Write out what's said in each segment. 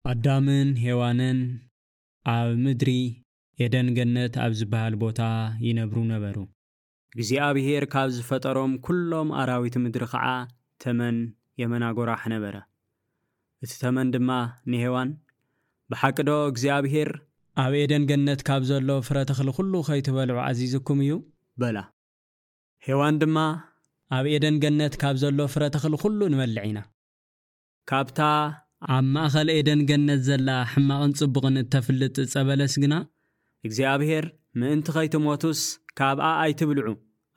ኣዳምን ሄዋንን ኣብ ምድሪ ኤደን ገነት ኣብ ዝበሃል ቦታ ይነብሩ ነበሩ። እግዚኣብሔር ካብ ዝፈጠሮም ኩሎም ኣራዊት ምድሪ ኸዓ ተመን የመና ጎራሕ ነበረ። እቲ ተመን ድማ ንሄዋን፣ "ብሓቂ ዶ እግዚኣብሔር ኣብ ኤደን ገነት ካብ ዘሎ ፍረ ተኽሊ ኩሉ ከይትበልዑ ኣዚዙኩም እዩ?" በላ። ሄዋን ድማ፣ "ኣብ ኤደን ገነት ካብ ዘሎ ፍረ ተኽሊ ኩሉ ንበልዕ ኢና። ካብታ ኣብ ማእኸል ኤደን ገነት ዘላ ሕማቕን ጽቡቕን እተፍልጥ ዕጸ በለስ ግና እግዚኣብሔር ምእንቲ ኸይትሞቱስ ካብኣ ኣይትብልዑ፣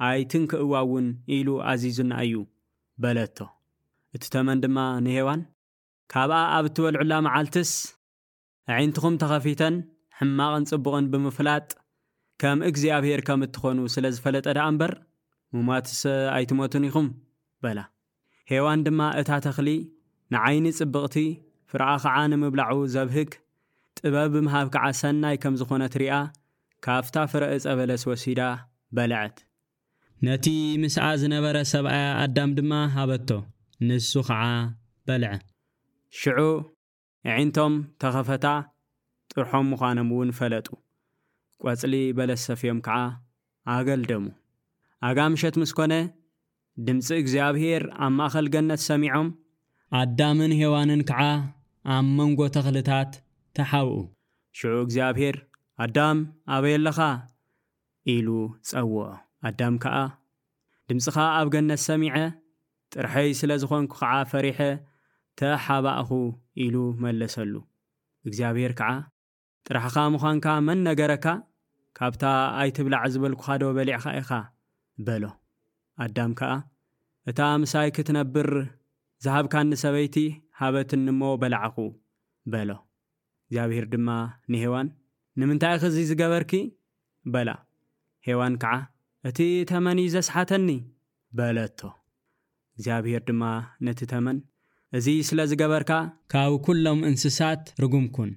ኣይትንክእዋ እውን ኢሉ ኣዚዙና እዩ" በለቶ። እቲ ተመን ድማ ንሄዋን፣ "ካብኣ ኣብ እትበልዑላ መዓልትስ ኣዒንትኹም ተኸፊተን ሕማቕን ጽቡቕን ብምፍላጥ ከም እግዚኣብሔር ከም እትኾኑ ስለ ዝፈለጠ ደኣ እምበር፣ ምሟትስ ኣይትሞቱን ኢኹም" በላ። ሄዋን ድማ እታ ተኽሊ ንዓይኒ ጽብቕቲ፣ ፍረኣ ኸዓ ንምብላዑ ዘብህግ፣ ጥበብ ብምሃብ ከዓ ሰናይ ከም ዝኾነት ሪኣ፣ ካብታ ፍረ ዕጸ በለስ ወሲዳ በልዐት። ነቲ ምስኣ ዝነበረ ሰብኣያ ኣዳም ድማ ሃበቶ፣ ንሱ ኸዓ በልዐ። ሽዑ ኣዒንቶም ተኸፈታ፣ ጥርሖም ምዃኖም እውን ፈለጡ። ቆጽሊ በለስ ሰፍዮም ከዓ ኣገልደሙ። ኣጋ ምሸት ምስ ኮነ፣ ድምጺ እግዚኣብሔር ኣብ ማእከል ገነት ሰሚዖም፣ ኣዳምን ሄዋንን ከዓ ኣብ መንጎ ተኽልታት ተሓብኡ። ሽዑ እግዚኣብሔር፣ "ኣዳም፣ ኣበይ ኣለኻ?" ኢሉ ጸውዖ። ኣዳም ከኣ፣ "ድምጽኻ ኣብ ገነት ሰሚዐ፣ ጥርሐይ ስለ ዝኾንኩ ኸዓ ፈሪሐ ተሓባእኹ" ኢሉ መለሰሉ። እግዚኣብሔር ከኣ፣ "ጥራሕኻ ምዃንካ መን ነገረካ? ካብታ ኣይትብላዕ ዝበልኩኻ ዶ በሊዕኻ ኢኻ?" በሎ። ኣዳም ከኣ፣ "እታ ምሳይ ክትነብር ዝሃብካኒ ሰበይቲ ሃበትኒ እሞ በላዕኹ" በሎ። እግዚኣብሔር ድማ ንሄዋን፣ "ንምንታይ ኢኺ እዚ ዝገበርኪ?" በላ። ሄዋን ከኣ፣ "እቲ ተመን እዩ ዘስሓተኒ" በለቶ። እግዚኣብሔር ድማ ነቲ ተመን፣ "እዚ ስለ ዝገበርካ ካብ ኩሎም እንስሳት ርጉም ኩን።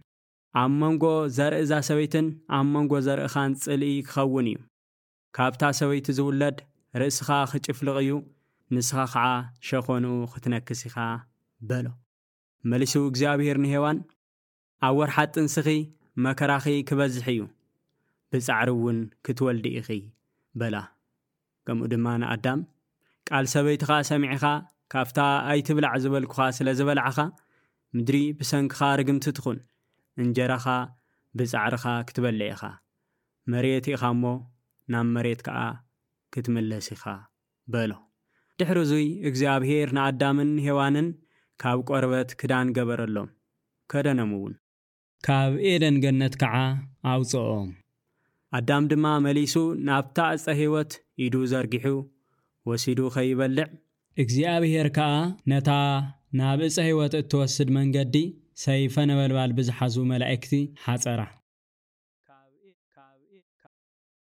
ኣብ መንጎ ዘርኢ እዛ ሰበይትን ኣብ መንጎ ዘርእኻን ጽልኢ ክኸውን እዩ። ካብታ ሰበይቲ ዝውለድ ርእስኻ ክጭፍልቕ እዩ፣ ንስኻ ኸዓ ሸኾንኡ ክትነክስ ኢኻ" በሎ። መሊሱ እግዚኣብሔር ንሄዋን፣ "ኣብ ወርሓት ጥንስኺ መከራኺ ክበዝሕ እዩ፣ ብጻዕሪ እውን ክትወልዲ ኢኺ" በላ። ከምኡ ድማ ንኣዳም፣ "ቃል ሰበይትኻ ሰሚዕኻ፣ ካብታ ኣይትብላዕ ዝበልኩኻ ስለ ዝበላዕኻ፣ ምድሪ ብሰንክኻ ርግምቲ ትኹን፣ እንጀራኻ ብጻዕርኻ ክትበልዕ ኢኻ፣ መሬት ኢኻ እሞ ናብ መሬት ከኣ ክትምለስ ኢኻ" በሎ። ድሕሪ እዙይ እግዚኣብሔር ንኣዳምን ሄዋንን ካብ ቆርበት ክዳን ገበረሎም፣ ከደኖም እውን። ካብ ኤደን ገነት ከዓ ኣውፅኦም። ኣዳም ድማ መሊሱ ናብታ ዕፀ ህይወት ኢዱ ዘርጊሑ ወሲዱ ከይበልዕ፣ እግዚኣብሔር ከዓ ነታ ናብ ዕፀ ህይወት እትወስድ መንገዲ ሰይፈ ነበልባል ብዝሓዙ መላእክቲ ሓፀራ።